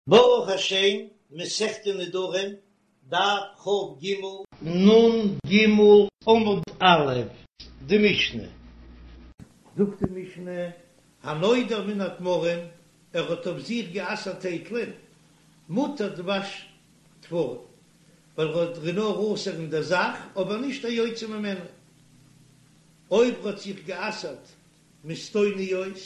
ברוך השם, מסכת נדרים, דף כ"ג, נ"ג עמוד א', די משנה. זאגט די משנה, הנודר מן התמרים, ער האט אויף זיך גע'אסר'ט טייטלען, מותר דבש תמרים, ווייל ער האט נאר אסור אין דער זאך, אבער נישט היוצא ממנו. אויב ער האט זיך גע'אסר'ט מסטוניות,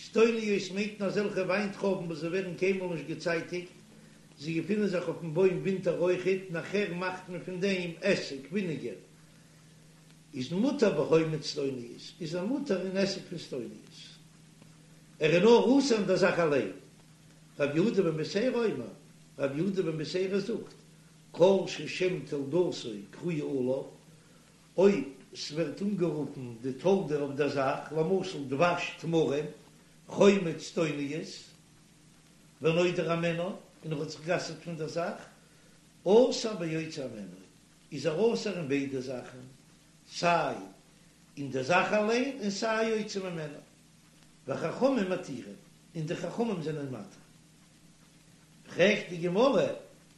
סטוניות מיינט מען אזעלכע וויינטרויבן וואס זיי ווערן קיינמאל נישט געצייטיגט, זיי געפינען זיך אויפן בוים ווינטער אויכעט, נאכער מאכט מען פון דעם עסיג, וויניגער, איז מותר בחומץ סטוניות, איז ער מותר אין עסיג פון סטוניות. ער איז נאר אסור אין דער זאך אליין. רבי יהודה בן בתירא אומר, רבי יהודה בן בתירא זאגט, כל ששם תולדתו קרויה עליו, אויב ס'ווערט אנגערופן די תולדה אויף דער זאך, למשל דבש תמרים, חומץ סטוניות, ונודר הימנה, און ער האט זיך גע'אסר'ט פון דער זאך, אסור ביוצא הימנו, איז ער אסור אין ביידע זאכן, סיי אין דער זאך אליין און סיי יוצא ממנו. וחכמים מתירים, און די חכמים זענען מתיר. פרעגט די גמרא,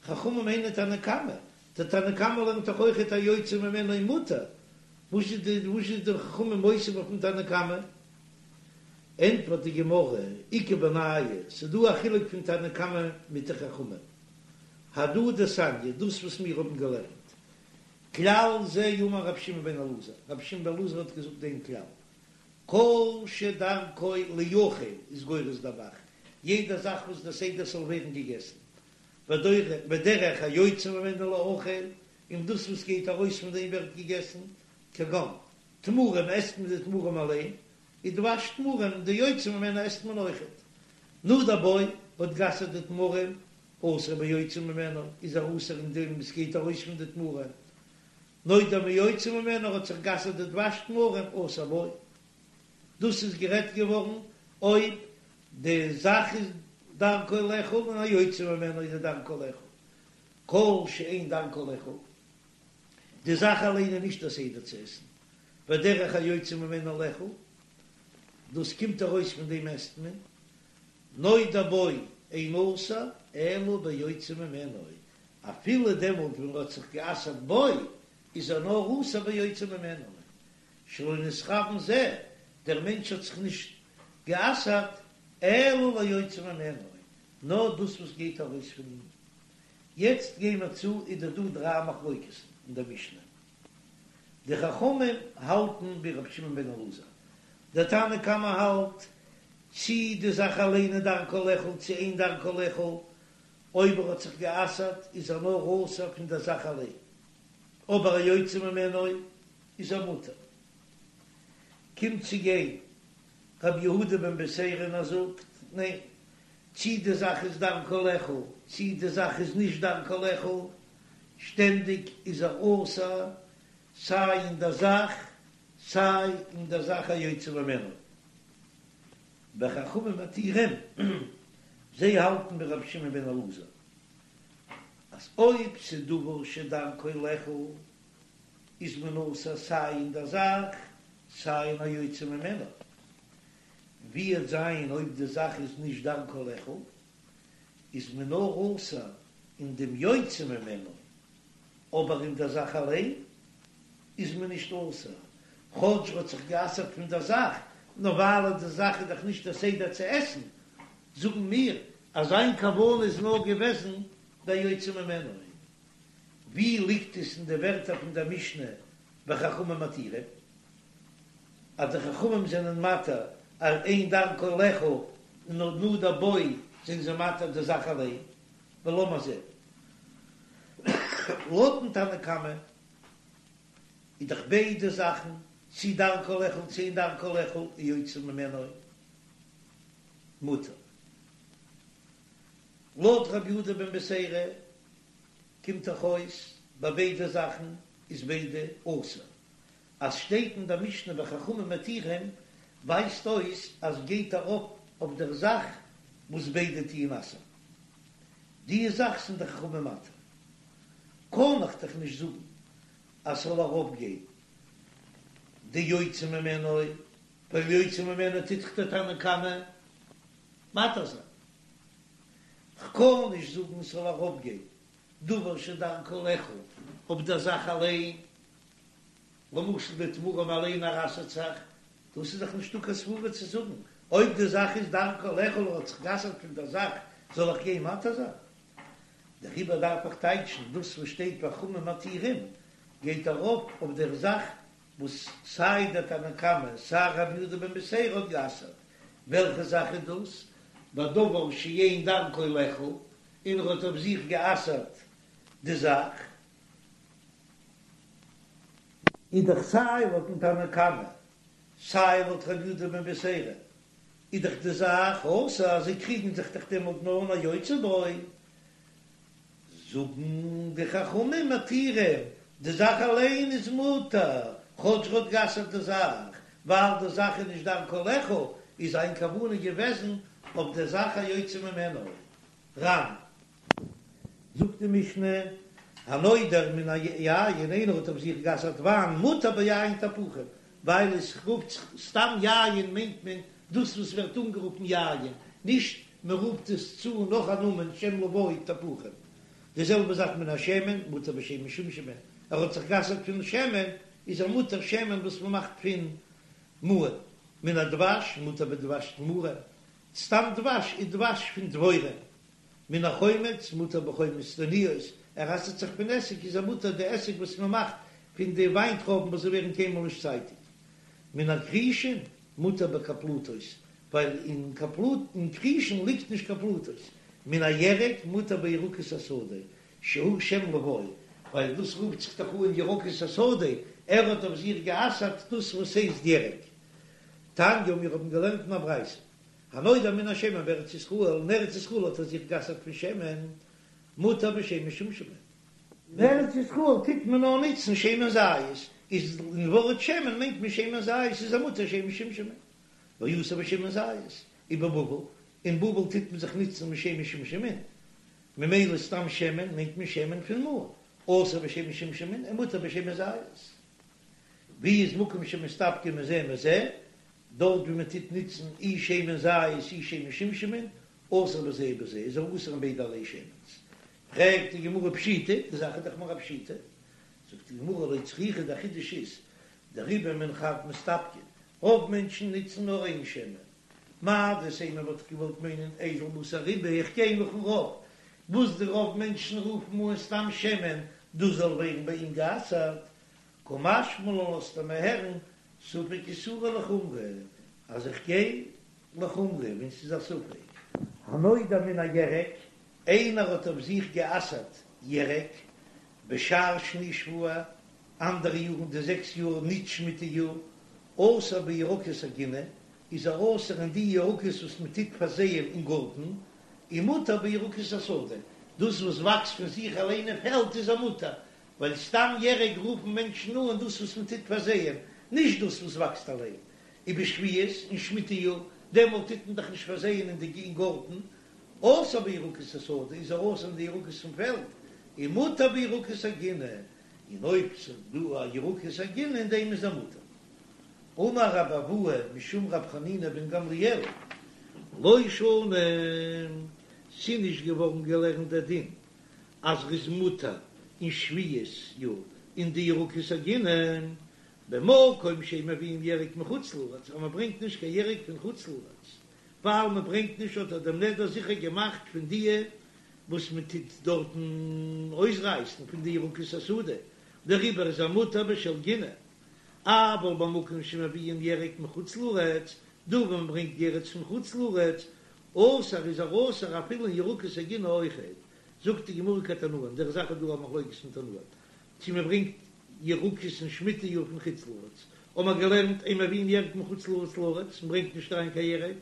חכמים היינו תנא קמא, דער תנא קמא לערנט דאך אויכעט היוצא ממנו מותר, וואס איז די וואס איז די חכמים מוסיף אויפן תנא קמא? ענטפערט די גמרא, איכא בינייהו, ס'איז דא א חילוק פון תנא קמא מיט די חכמים, הדא דתניא, דאס וואס מיר האבן געלערנט, כלל זה אמר רבי שמעון בן אלעזר, רבי שמעון בן אלעזר האט געזאגט דעם כלל, כל שדרכו ליאכל איז גורס דער ב"ח, יעדע זאך וואס דער סדר ס'זאל ווערן געגעסן, ודרך היוצא ממנו ליאכל, און דאס וואס גייט ארויס פון דעם ווערט געגעסן, כגון תמרים עסט מען די תמרים אליין, און דבש תמרים די יוצא ממנו עסט מען אויכעט. נדר בו האט גע'אסר'ט די תמרים, אסור ביוצא ממנו, איז ער אסור אין דעם וואס גייט ארויס פון די תמרים, נודר מיוצא ממנו האט זיך גע'אסר'ט די דבש תמרים אסור בו. דאס איז גערעדט געווארן אויב די זאך איז דרכו לאכול און היוצא ממנו איז דרכו לאכול. כל שאין דרכו לאכול, די זאך אליין איז נישט א סדר צו עסן, ודרך היוצא ממנו לאכול, דאס קומט ארויס פון דעם עסט מען, נודר בו אינו אסור אלא ביוצא ממנו, אפילו דעמאלט ווען ער האט זיך גע'אסר'ט בו, איז ער נאר אסור ביוצא ממנו, שלא נתכוון זה, דער מענטש האט זיך נישט גע'אסר'ט אלא ליוצא ממנו, נאר דאס וואס גייט ארויס פון אים. יעצט גיי מיר צו איז דא דא דריי מחלוקת'ן אין דער משנה. די חכמים האלטן ווי רבי שמעון בן אלעזר, דער תנא קמא האלט, צי די זאך אליין איז דרכו לאכול צי אין דרכו לאכול, אויב ער האט זיך גע'אסר'ט איז ער נאר אסור פון דער זאך אליין, אבער היוצא ממנו איז ער מותר. קומט צו גיין רבי יהודה בן בתירא און ער זאגט, ניין, צי די זאך איז דרכו לאכול צי די זאך איז נישט דרכו לאכול, שטענדיג איז ער אסור סיי אין דער זאך סיי אין דער זאך היוצא ממנו. וחכמים מתירים, זיי האלטן ווי רבי שמעון בן אלעזר אז אויב ס'דבר שדרכו לאכול איז מען אסור סיי אין דער זאך סיי אין היוצא ממנו, ווי וועט זיין אויב די זאך איז נישט דרכו לאכול איז מען נאר אסור אין דעם יוצא ממנו, אבער אין דער זאך אליין איז מען נישט אסור, כאטש ר'האט זיך גע'אסר'ט פון דער זאך, נאר ווייל די זאך איז דאך נישט דער סדר צו עסן, זאגן מיר אז זיין כוונה איז נאר געוועזן דער יוצא ממנו. ווי ליגט עס אין די ווערטער פון דער משנה וחכמים מתירים, אז די חכמים זענען מתיר אז אין דרכו לאכול און נדר בו זענען זיי מתיר די זאך אליין, ולאמיר זען לויטן תנא קמא איז דאך ביידע זאכן צי דרכו לאכול צי אין דרכו לאכול יוצא ממנו מותר. לויט רבי יהודה בן בתירא קומט דאך אויס ביי ביידע זאכן איז ביידע אסור. אז שטייט אין דער משנה וחכמים מתירים ווייזט אויס אז גייט ארויף אויף דער זאך וואס ביידע טוען אסר'ן. די זאך זענען די חכמים מתיר. קען איך דאך נישט זאגן אז ס'זאל ארויפגיין די יוצא ממנו, ווייל יוצא ממנו טוט דאך דער תנא קמא מתיר זיין. כ'קען נישט זאגן ס'זאל ארויפגיין דבר שדרכו לאכול אויף דער זאך אליין, למשל די תמרים אליין ער אסר'ט זיך, דאס איז דאך נישטא קיין סברה צו זאגן, אויב די זאך איז דרכו לאכול ער האט זיך גע'אסר'ט פון דער זאך, זאל איך גיין מתיר זיין? דעריבער דארף איך טייטשן דאס וואס שטייט וחכמים מתירים גייט ארויף אויף דער זאך וואס סיי דער תנא קמא סיי רבי יהודה בן בתירא האט גע'אסר'ט, וועלכע זאך איז דאס? בדבר שאין דרכו לאכול, און ער האט אויף זיך גע'אסר'ט די זאך. איז דאך סיי לויטן תנא קמא סיי לויט רבי יהודה בן בתירא איז דאך די זאך אסור אז זיי קריגן זיך דאך דעמאלט נאר אין היוצא בו, זאגן די חכמים מתירים, די זאך אליין איז מותר, כאטש ער האט גע'אסר'ט די זאך, ווייל די זאך איז נישט דרכו לאכול, איז זיין כוונה געוועזן אויף די זאך היוצא ממנו. ר"ן. זאגט די משנה, הנודר מן היין, איינער האט אויף זיך גע'אסר'ט וויין, מותר ביין תפוחים, ווייל עס רופט זיך סתם יין מיינט מען דאס וואס ווערט אנגערופן יין, נישט מען רופט עס צו נאך א נאמען שם לבוי תפוחים. די זעלבע זאך מן השמן, מותר בשמן שומשמין, ער האט זיך גע'אסר'ט פון שמן, איז ער מותר שמן וואס מען מאכט פון מאור, מן הדבש, מותר בדבש תמרים, סתם דבש איז דבש פון דבורים, מן החומץ מותר בחומץ סתניות, ער אסר'ט זיך פון עסיג איז ער מותר די עסיג וואס מען מאכט פון די וויינטרויבן וואס זיי ווערן קיינמאל נישט צייטיג, מן הכרישין מותר בכפלתות, ווייל אין אין כרישין ליגט נישט קיין פלתות, מן הירק מותר בירקות השדה, שהוא שם לבוי, ווייל דאס רופט זיך דאך אן ירקות השדה, ער האט אויף זיך גע'אסר'ט דאס וואס הייסט ירק. תניא, מיר האבן געלערנט אין א ברייתא, הנודר מן השמן בארץ ישראל, אין ארץ ישראל האט ער זיך גע'אסר'ט פון שמן, מותר בשמן שומשמין. אין ארץ ישראל טוט מען נאר נוצן שמן זית, איז אין ווארט שמן מיינט מען שמן זית, איז ער מותר שמן שומשמין, ואסור בשמן זית, ובבבל, אין בבל טוט מען זיך נוצן מיט שמן שומשמין, ממילא סתם שמן מיינט מען שמן פון מאור, אסור בשמן שומשמין און מותר בשמן זית. ווי איז מקום שמסתפגין מזה ומזה, דארט ווי מען טוט נוצן אי שמן זית אי שמן שומשמין, אסור בזה ובזה, איז ער אסור אין ביידע ערליי שמן'ס. פרעגט די גמרא פשיטא, די זאך איז דאך מיר א פשיטא. זאגט די גמרא לא צריכא, דער חידוש איז, דרובא מן חב מסתפגין, רוב מענטשן נוצן נאר איין שמן. מהו דתימא וואלט איך געוואלט מיינען איזיל בתר רובא, איך גיי נאכן רוב, וואס די רוב מענטשן רופן אן סתם שמן, דאס זאל ווערן ביי אים גע'אסר'ט, קא משמע לן לאזט ער מיר הערן ספק איסורא לחומרא אז איך גיי לחומרא ווען ס'איז א ספק. הנודר מן הירק, איינער האט אויף זיך גע'אסר'ט ירק בשאר שני שבוע, אנדערע יארן די זעקס יאר ניט שמיטה יאר, אסור בירקות הגינה, איז ער אסור אין די ירקות וואס מען טוט פארזייען אין גארטן, און מותר בירקות השדה, דאס וואס וואקסט פון זיך אליין אין פעלד איז ער מותר, ווייל סתם ירק רופן מענטשן אן דאס וואס מען טוט פארזייען, נישט דאס וואס וואקסט אליין. ובשביעית, אין שמיטה יאר, דעמאלט טוט מען דאך נישט פארזייען אין די אין גארטן, אסור בירקות השדה, איז ער אסור אין די ירקות פון פעלד, און מותר בירקות הגינה, און אויב ס'איז דא א ירקות הגינה אין דעם איז ער מותר. אמר רבי אבהו משום רבי חנינא בן גמליאל, לא שנו, ס'איז נישט געווארן געלערנט דער דין אז ר'איז מותר אין שביעית יאר אין די ירקות הגינה, במקום שאין מביאים ירק מחוץ לארץ, אז מ'ברענגט נישט קיין ירק פון חוץ לארץ, ווייל מ'ברענגט נישט האט ער דעם נדר זיכער געמאכט פון דיע וואס מ'טוט דארטן אויסרייסן פון די ירקות השדה, דעריבער איז ער מותר בשל גינה, אבל במקום שמביאים ירק מחוץ לארץ, דא וואו מ'ברענגט ירק פון חוץ לארץ, אסור איז ער אסור אפילו אין ירקות הגינה אויכעט, זאגט די גמרא כתנאים, דער זאך איז דא א מחלוקת פון תנאים צו מען ברענגט ירקות אין שמיטה יאר פון חוץ לארץ, האבן מיר געלערנט אין מביאים ירק מחוץ לארץ לארץ, מען ברענגט נישט אריין קיין ירק,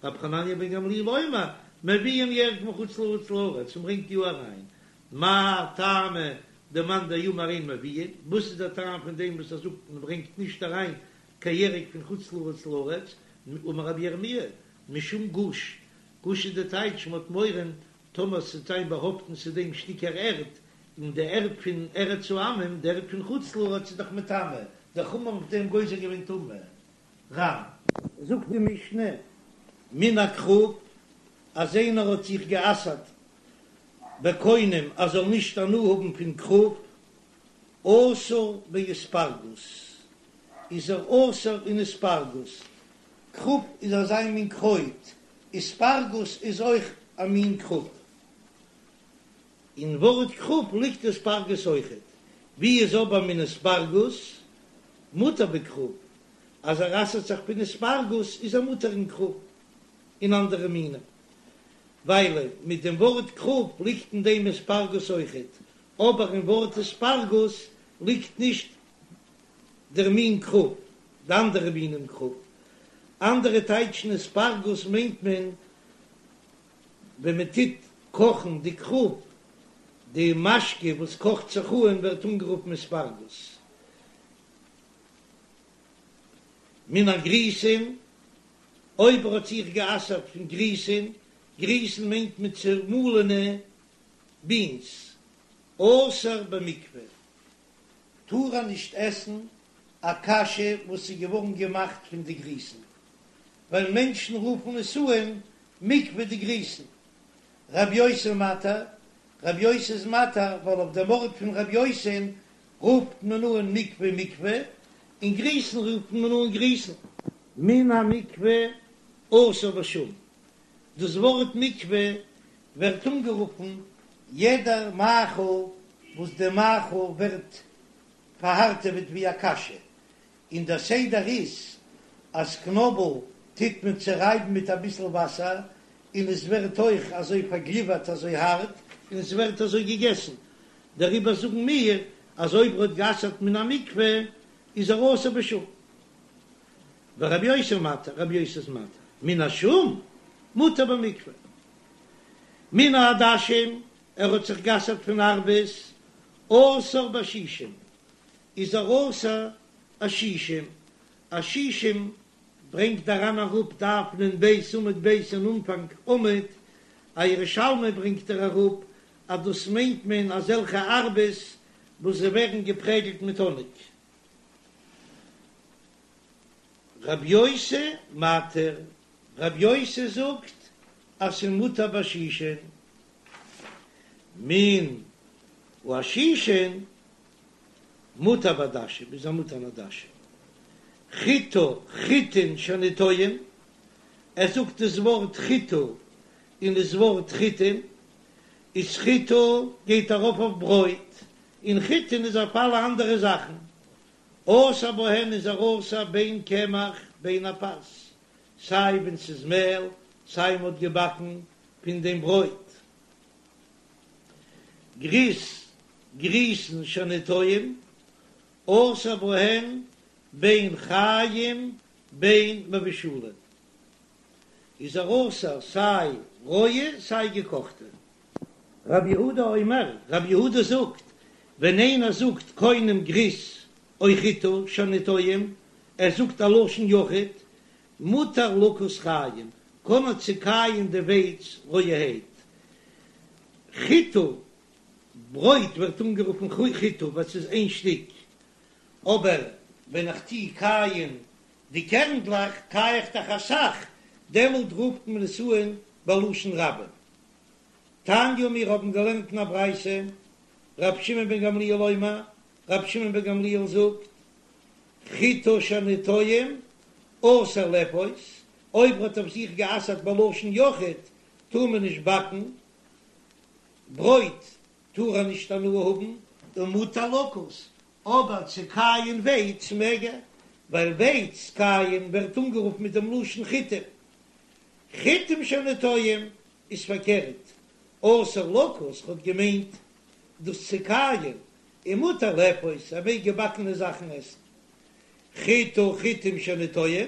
רבי חנניה בן גמליאל אומר, מביאים ירק מחוץ לארץ לארץ, מען ברענגט יא אריין, מאי טעמא דמאן דאמר אין מביאין, וואס איז דער טעם פון דעם וואס ער זאגט מען ברענגט נישט אריין קיין ירק פון חוץ לארץ לארץ, אמר רבי ירמי', משום גוש, גוש איז די טייטש מ'האט מורא טאמער ס'וועט זיין באהאפטן צו דעם שטיקער ערד, און די ערד פון ארץ העמים, די ערד פון חוץ לארץ איז דאך מטמא, די חכמים האבן אויף דעם גוזר געווען טומאה. ר"ן. זאגט די משנה, מן הכרוב, אז איינער האט זיך גע'אסר'ט. בקונם ער זאל נישט הנאה האבן פון כרוב, אסור באספרגוס, איז ער אסור אין אספרגוס, כרוב איז אזא מין קרויט, אספרגוס איז אויך א מין כרוב. אין ווארט כרוב ליגט אספרגוס אויכעט, ווי איז אבער מן אספרגוס מותר בכרוב, אז ער אסר'ט זיך פון אספרגוס איז ער מותר אין כרוב און אנדערע מינים, ווייל מיט דעם ווארט כרוב ליגט אין דעם אספרגוס אויכעט, אבער אין ווארט אספרגוס ליגט נישט דער מין כרוב, די אנדערע מינים כרוב. אנדערע טייטשן אספרגוס מיינט מען ווען מען טוט קאכן די כרוב, די משקה וואס קאכט זיך אן ווערט אנגערופן אספרגוס. מן הגריסין, אויב ער האט זיך גע'אסר'ט פון גריסין, גריסין מיינט מען צעמאלענע בינס, אסור במקפה, טאר ער נישט עסן א קאשע וואס איז געווארן געמאכט פון די גריסין, ווייל מענטשן רופן עס אן מקפה דגריסין. רב יוסי מתיר, רב יוסי איז מתיר ווייל אויף דעם ארט פון רב יוסי'ן רופט מען אן מקפה מקפה, און גריסין רופט מען אן גריסין. מן המקפה אסור בשום, דאס ווארט מקפה ווערט אנגערופן יעדער מאכל וואס די מאכל ווערט פארהארטעוועט ווי א קאשע, און דער סדר איז אז קנאבל טוט מען צורייבן מיט אביסל וואסער און עס ווערט אויך אזוי פארגליווערט אזוי הארט און עס ווערט אזוי געגעסן, דעריבער זאגן מיר אז אויב ער האט גע'אסר'ט מן המקפה איז ער אסור בשום. ורבי יוסי מתיר, רבי יוסי איז מתיר מן השום מותר במקפה. מן העדשים, ער האט זיך גע'אסר'ט פון ארבעס, אסור בעשישים, איז ער אסור עשישים, עשישים ברענגט דער ר"ן אראפ דף נ"ב עמוד ב' אין אנפאנג עמוד, א ירושלמי ברענגט ער אראפ אז דאס מיינט מען אזעלכע ארבעס וואס זיי ווערן געפרעגלט מיט האניג. רב יוסי מתיר, רב יוסי זאגט אז ס'איז מותר בעשישין, מן העשישין מותר בעדשים, איז ער מותר אין עדשים. חיטה חיטין שאני טועם, ער זאגט דאס ווארט חיטה און דאס ווארט חיטין, איז חיטה גייט ארויף אויף ברויט, און חיטין איז אויף אלע אנדערע זאכן. אסור בהן איז ער אסור בין קמח בין הפת, סיי ווען ס'איז מעל, סיי מ'האט געבאקן פון דעם ברויט. גריס, גריסין שאני טועם, אסור בהן בין חיים בין מבושלין, איז ער אסור סיי רויע סיי געקאכטע. רב יהודה אומר, רב יהודה זאגט, ווען איינער זאגט קונם גריס או חיטה שאני טועם, ער זאגט א לשון יחיד, מותר לכוס חיים, קען ער צוקייען די ווייץ רויערהייט. חיטה, ברויט ווערט אנגערופן חיטה ווייל ס'איז איין שטיק, אבער ווען איך טוה קייען די קערנדלעך קיי איך דאך אסאך, דעמאלט רופט מען עס אן בלשון רבים. תניא מיר האבן געלערנט אין א ברייתא, רבי שמעון בן גמליאל אומר, רבי שמעון בן גמליאל זאגט, חיטה שאני טועם אסור לאפות, אויב האט אויף זיך גע'אסר'ט בלשון יחיד, טאר מען נישט באקן ברויט, טאר ער נישט הנאה האבן, ומותר לכוס, אבער צו קייען ווייץ מעג ער, ווייל ווייץ קייען ווערט אנגערופן מיט דעם לשון חיטים, חיטים שאני טועם איז פארקערט, אסור לכוס האט געמיינט דאס צו קייען, ומותר לאפות, ער מעג געבאקענע זאכן עסן. חיטה חיטים שאני טועם,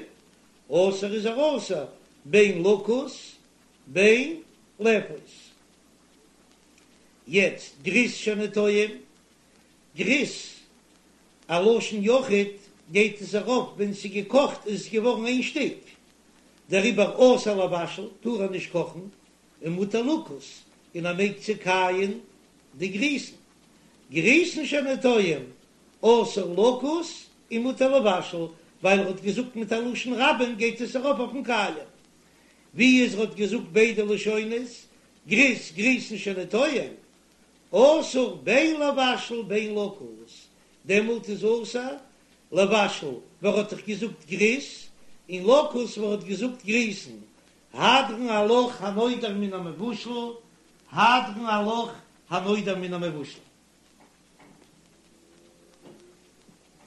אסור איז ער אסור, בין לכוס בין לאפות. יעצט גריס שאני טועם, גריס, א לשון יחיד, גייט עס ארויף ווען ס'איז געקאכט איז עס געווארן איין שטיק, דעריבער אסור לבשל טאר ער נישט קאכן, ומותר לכוס, און ער מעג צוקייען די גריסן. גריסין שאני טועם, אסור לכוס ומותר לבשל, ווייל ער האט געזאגט מיט א לשון רבים גייט עס ארויף אויפן קייען. ווי איז ער האט געזאגט ביידע לשונות, גריס גריסין שאני טועם. אסור בין לבשל בין לכוס, דעמאלט איז אסור לבשל ווייל ער האט דאך געזאגט גריס, און לכוס ווייל ער האט געזאגט גריסן, הדרן עלך הנודר מן המבושל, הדרן עלך הנודר מן המבושל.